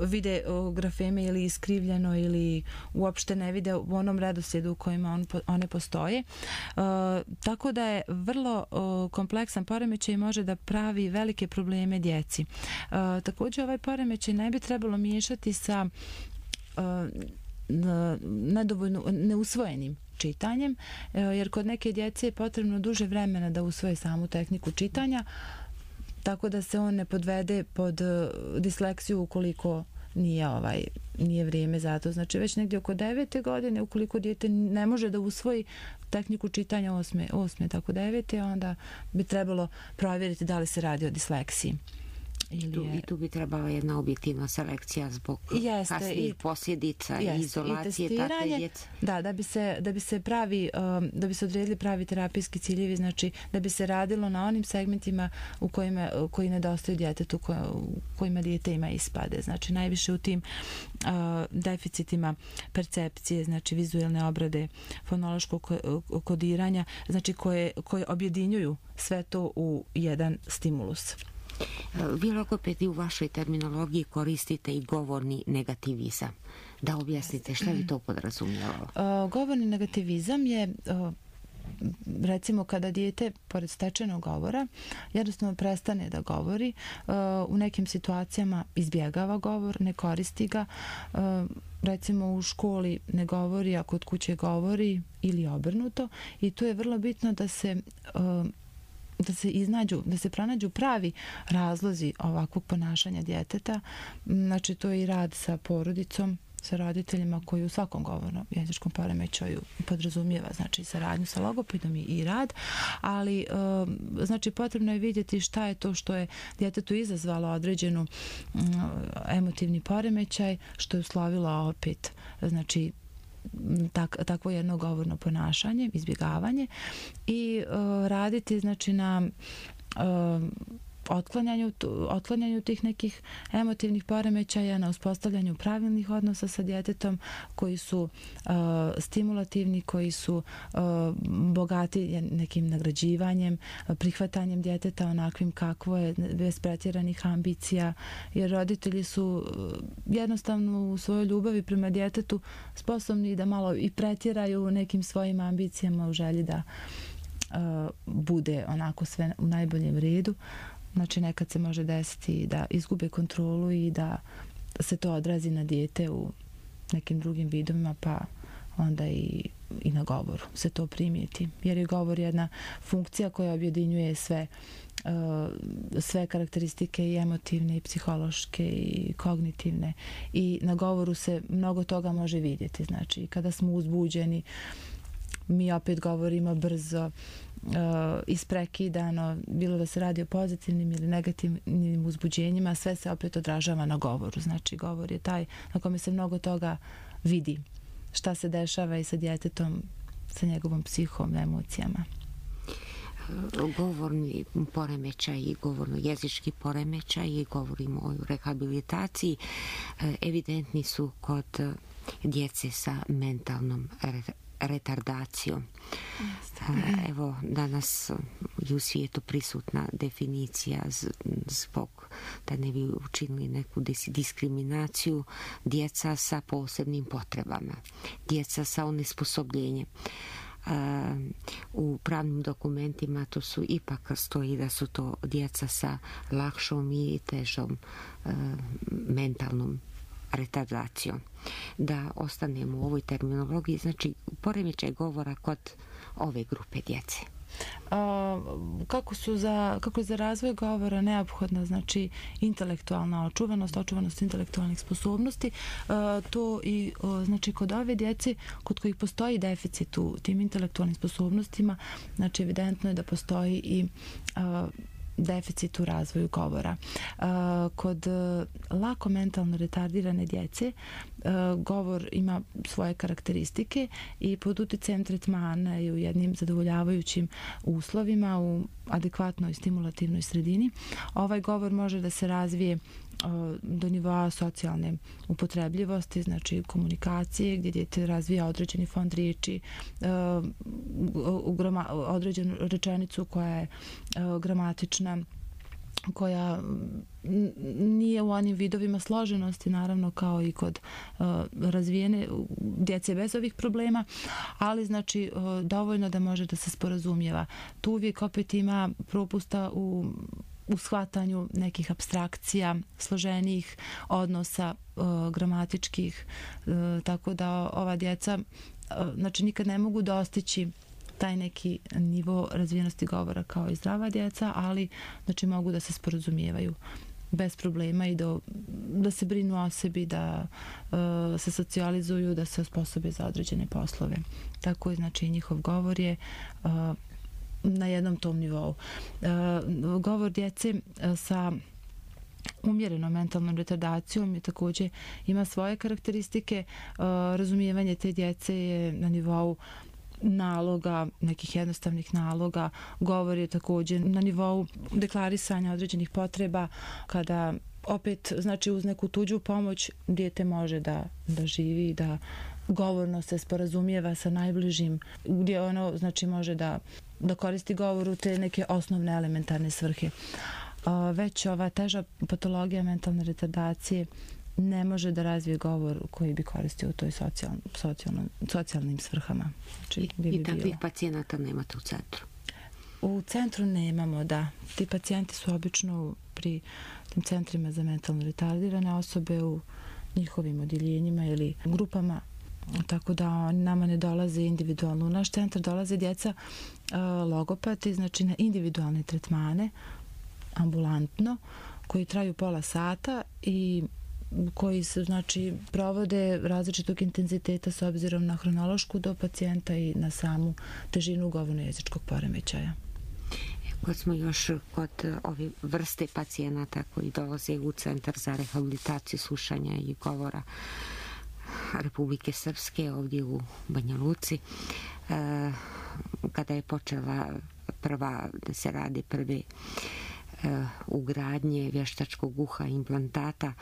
vide grafeme ili iskrivljeno ili uopšte ne vide u onom redoslijedu u kojima on, one postoje. E, tako da je vrlo o, kompleksan poremećaj i može da pravi velike probleme djeci. E, također ovaj poremećaj ne bi trebalo miješati sa e, nedovoljno neusvojenim čitanjem, e, jer kod neke djece je potrebno duže vremena da usvoje samu tehniku čitanja, tako da se on ne podvede pod disleksiju ukoliko nije ovaj nije vrijeme za to. Znači već negdje oko devete godine, ukoliko dijete ne može da usvoji tehniku čitanja osme, osme tako devete, onda bi trebalo provjeriti da li se radi o disleksiji.
Ili tu, je... I tu bi trebala jedna objektivna selekcija zbog jeste, kasnijih posljedica i izolacije takve djece.
Da, da bi se, da bi se pravi, da bi se odredili pravi terapijski ciljevi, znači da bi se radilo na onim segmentima u kojima, koji nedostaju djetetu, u kojima dijete ima ispade. Znači najviše u tim uh, deficitima percepcije, znači vizualne obrade, fonološkog kodiranja, znači koje, koje objedinjuju sve to u jedan stimulus.
Vi logopedi u vašoj terminologiji koristite i govorni negativizam. Da objasnite šta bi to podrazumijevalo?
Uh, govorni negativizam je uh, recimo kada dijete pored stečenog govora jednostavno prestane da govori, uh, u nekim situacijama izbjegava govor, ne koristi ga, uh, recimo u školi ne govori, a kod kuće govori ili obrnuto, i tu je vrlo bitno da se uh, da se iznađu, da se pronađu pravi razlozi ovakvog ponašanja djeteta. Znači to je i rad sa porodicom, sa roditeljima koji u svakom govornom jezičkom poremećaju podrazumijeva, znači saradnju sa logopedom i rad, ali znači potrebno je vidjeti šta je to što je djetetu izazvalo određenu emotivni poremećaj, što je uslovilo opet znači tak, takvo jedno govorno ponašanje, izbjegavanje, i uh, raditi znači na uh, otklanjanju, otklanjanju tih nekih emotivnih poremećaja, na uspostavljanju pravilnih odnosa sa djetetom koji su uh, stimulativni, koji su uh, bogati nekim nagrađivanjem, prihvatanjem djeteta onakvim kakvo je, bez pretjeranih ambicija, jer roditelji su uh, jednostavno u svojoj ljubavi prema djetetu sposobni da malo i pretjeraju nekim svojim ambicijama u želji da uh, bude onako sve u najboljem redu. Znači nekad se može desiti da izgube kontrolu i da se to odrazi na dijete u nekim drugim vidovima, pa onda i, i na govoru se to primijeti. Jer je govor jedna funkcija koja objedinjuje sve, uh, sve karakteristike i emotivne i psihološke i kognitivne, i na govoru se mnogo toga može vidjeti. Znači kada smo uzbuđeni, mi opet govorimo brzo, uh, isprekidano, bilo da se radi o pozitivnim ili negativnim uzbuđenjima, sve se opet odražava na govoru. Znači govor je taj na kome se mnogo toga vidi, šta se dešava i sa djetetom, sa njegovom psihom, emocijama.
Govorni poremećaj i govorno-jezički poremećaj, i govorimo o rehabilitaciji, evidentni su kod djece sa mentalnom retardacijom. Evo, danas je u svijetu prisutna definicija zbog da ne bi učinili neku diskriminaciju, djeca sa posebnim potrebama, djeca sa onesposobljenjem. U pravnim dokumentima to su ipak stoji da su to djeca sa lakšom i težom mentalnom retardacijom. Da ostanemo u ovoj terminologiji, znači poremećaj govora kod ove grupe djece.
A, kako su za, kako je za razvoj govora neophodna znači intelektualna očuvanost, očuvanost intelektualnih sposobnosti, a, to i o, znači kod ove djece kod kojih postoji deficit u tim intelektualnim sposobnostima, znači evidentno je da postoji i a, deficit u razvoju govora. Kod lako mentalno retardirane djece govor ima svoje karakteristike i pod utjecajem tretmana i u jednim zadovoljavajućim uslovima, u adekvatnoj stimulativnoj sredini, ovaj govor može da se razvije do nivoa socijalne upotrebljivosti, znači komunikacije, gdje dijete razvija određeni fond riječi, određenu rečenicu koja je gramatična, koja nije u onim vidovima složenosti, naravno kao i kod uh, razvijene djece bez ovih problema, ali znači uh, dovoljno da može da se sporazumijeva. Tu uvijek opet ima propusta u u shvatanju nekih apstrakcija, složenijih odnosa uh, gramatičkih, uh, tako da ova djeca uh, znači nikad ne mogu dostići taj neki nivo razvijenosti govora kao i zdrava djeca, ali znači mogu da se sporazumijevaju bez problema i da, da se brinu o sebi, da uh, se socijalizuju, da se osposobe za određene poslove. Tako je znači njihov govor je uh, na jednom tom nivou. Uh, govor djece uh, sa umjerenom mentalnom retardacijom je također ima svoje karakteristike. Uh, razumijevanje te djece je na nivou naloga, nekih jednostavnih naloga. Govor je također na nivou deklarisanja određenih potreba, kada opet znači uz neku tuđu pomoć dijete može da, da živi, da govorno se sporazumijeva sa najbližim, gdje ono znači može da, da koristi govor u te neke osnovne elementarne svrhe. Već ova teža patologija mentalne retardacije ne može da razvije govor koji bi koristio u toj socijal, socijalnom, socijalnim svrhama. Znači,
I,
bi
i takvih
bilo.
pacijenata nemate u centru?
U centru nemamo, da. Ti pacijenti su obično pri tim centrima za mentalno retardirane osobe u njihovim odjeljenjima ili grupama, tako da oni nama ne dolaze individualno. U naš centar dolaze djeca uh, logopati, znači na individualne tretmane, ambulantno, koji traju pola sata i koji se, znači, provode različitog intenziteta s obzirom na hronološku do pacijenta i na samu težinu govorno-jezičkog poremećaja.
Kad smo još kod ove vrste pacijenata koji dolaze u Centar za rehabilitaciju slušanja i govora Republike Srpske ovdje u Banja Luci, kada je počela prva, da se radi prve ugradnje vještačkog uha implantata,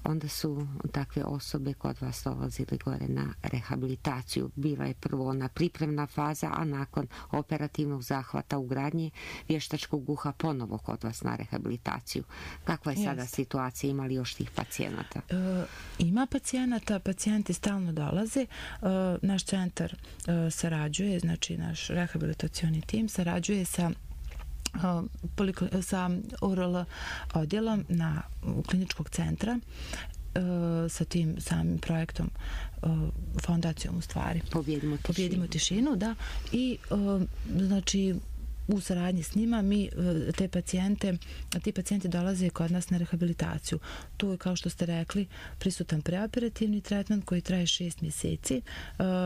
onda su takve osobe kod vas dolazili gore na rehabilitaciju. Bila je prvo ona pripremna faza, a nakon operativnog zahvata ugradnje vještačkog uha ponovo kod vas na rehabilitaciju. Kakva je sada Jeste. situacija? Ima li još tih pacijenata?
E, ima pacijenata, pacijenti stalno dolaze. E, naš centar e, sarađuje, znači naš rehabilitacioni tim sarađuje sa sa O R L odjelom na kliničkog centra sa tim samim projektom, fondacijom u stvari.
Pobjedimo tišinu.
Pobjedimo tišinu, da. I znači u saradnji s njima mi te pacijente, ti pacijenti dolaze kod nas na rehabilitaciju. Tu je, kao što ste rekli, prisutan preoperativni tretman koji traje šest mjeseci.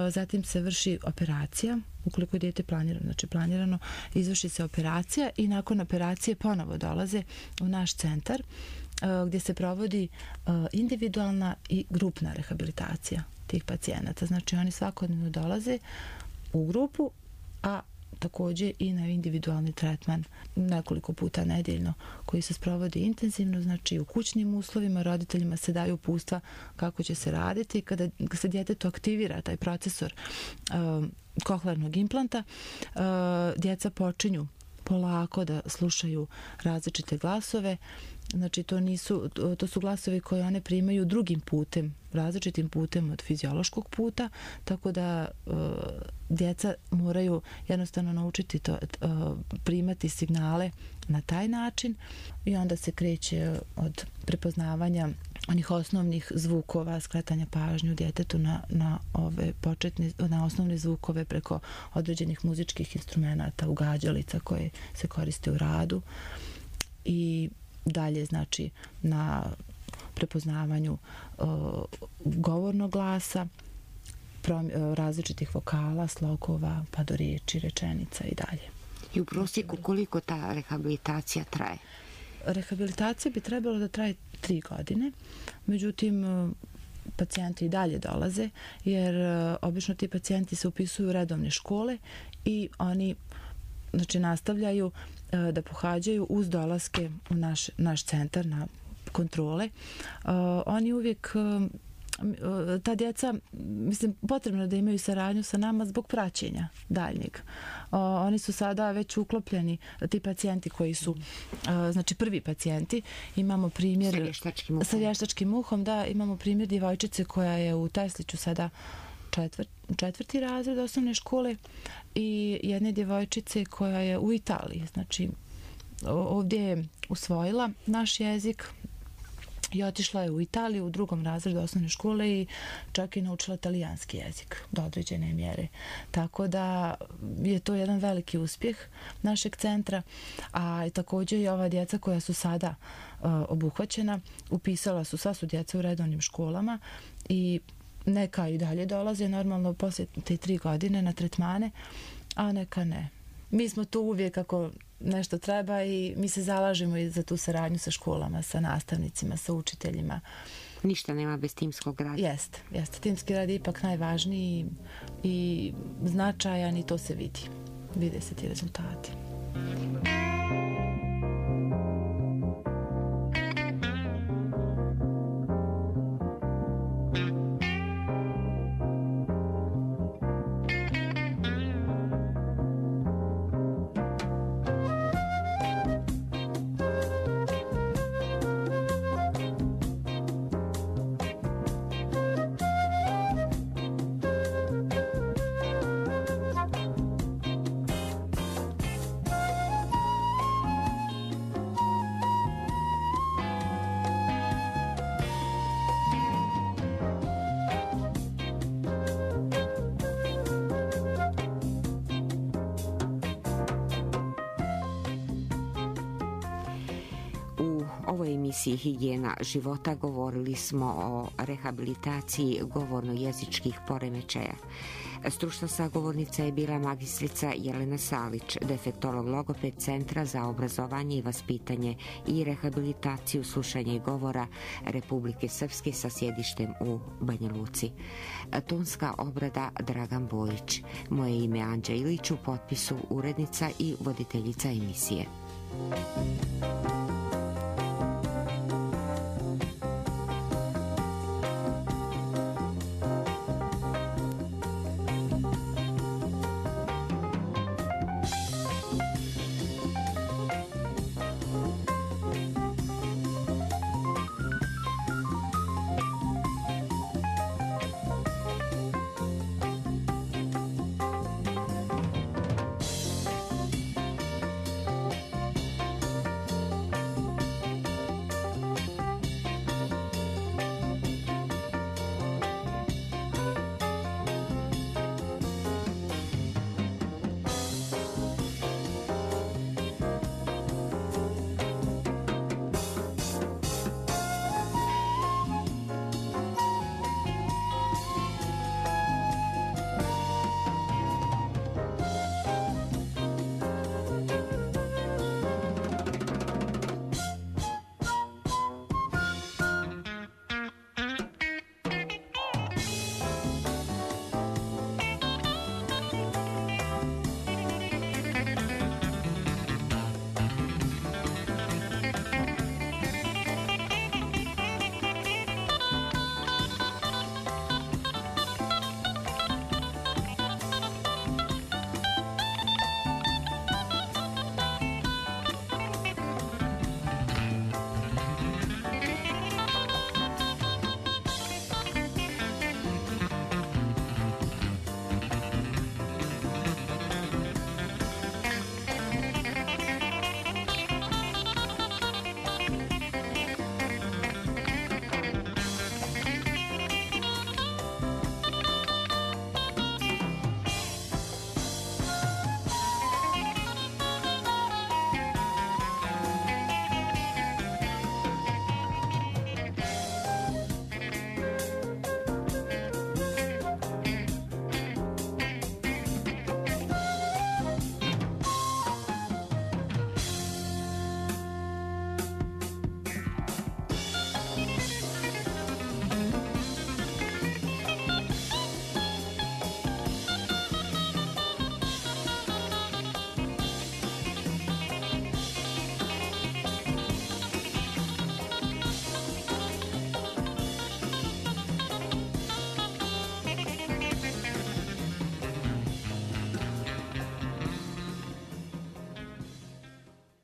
Zatim se vrši operacija, ukoliko je dijete planirano, znači planirano, izvrši se operacija i nakon operacije ponovo dolaze u naš centar gdje se provodi individualna i grupna rehabilitacija tih pacijenata. Znači oni svakodnevno dolaze u grupu, a također i na individualni tretman nekoliko puta nedeljno koji se sprovodi intenzivno, znači u kućnim uslovima roditeljima se daju uputstva kako će se raditi. Kada se djetetu aktivira taj procesor uh, kohlearnog implanta, uh, djeca počinju polako da slušaju različite glasove. Znači to nisu, to su glasovi koje one primaju drugim putem, različitim putem od fiziološkog puta, tako da uh, djeca moraju jednostavno naučiti to, uh, primati signale na taj način i onda se kreće od prepoznavanja onih osnovnih zvukova, skretanja pažnju djetetu na, na ove početne, na osnovne zvukove preko određenih muzičkih instrumenata, ugađalica koje se koriste u radu i dalje, znači, na prepoznavanju uh, govornog glasa, prom, uh, različitih vokala, slogova, pa do riječi, rečenica i dalje.
I u prosjeku koliko ta rehabilitacija traje?
Rehabilitacija bi trebalo da traje tri godine, međutim, uh, pacijenti i dalje dolaze, jer uh, obično ti pacijenti se upisuju u redovne škole i oni, znači, nastavljaju da pohađaju uz dolaske u naš, naš centar na kontrole. Uh, oni uvijek, uh, ta djeca, mislim, potrebno da imaju saradnju sa nama zbog praćenja daljnjeg. Uh, oni su sada već uklopljeni, ti pacijenti koji su, uh, znači prvi pacijenti, imamo primjer...
Sa vještačkim uhom.
Sa vještačkim uhom, da, imamo primjer djevojčice koja je u Tesliću sada Četvrt, četvrti razred osnovne škole i jedne djevojčice koja je u Italiji. Znači, ovdje je usvojila naš jezik i otišla je u Italiju u drugom razredu osnovne škole i čak i naučila talijanski jezik do određene mjere. Tako da je to jedan veliki uspjeh našeg centra, a također i ova djeca koja su sada uh, obuhvaćena, upisala su, sva su djeca u redovnim školama i neka i dalje dolaze normalno poslije te tri godine na tretmane, a neka ne. Mi smo tu uvijek ako nešto treba i mi se zalažemo i za tu saradnju sa školama, sa nastavnicima, sa učiteljima.
Ništa nema bez timskog rada.
Jeste, jeste. Timski rad je ipak najvažniji i značajan i to se vidi. Vide se ti rezultati.
ovoj emisiji Higijena života govorili smo o rehabilitaciji govorno-jezičkih poremećaja. Stručna sagovornica je bila magistrica Jelena Salić, defektolog logoped Centra za obrazovanje i vaspitanje i rehabilitaciju slušanja i govora Republike Srpske sa sjedištem u Banja Luci. Tonska obrada Dragan Bojić. Moje ime je Anđa Ilić, u potpisu urednica i voditeljica emisije.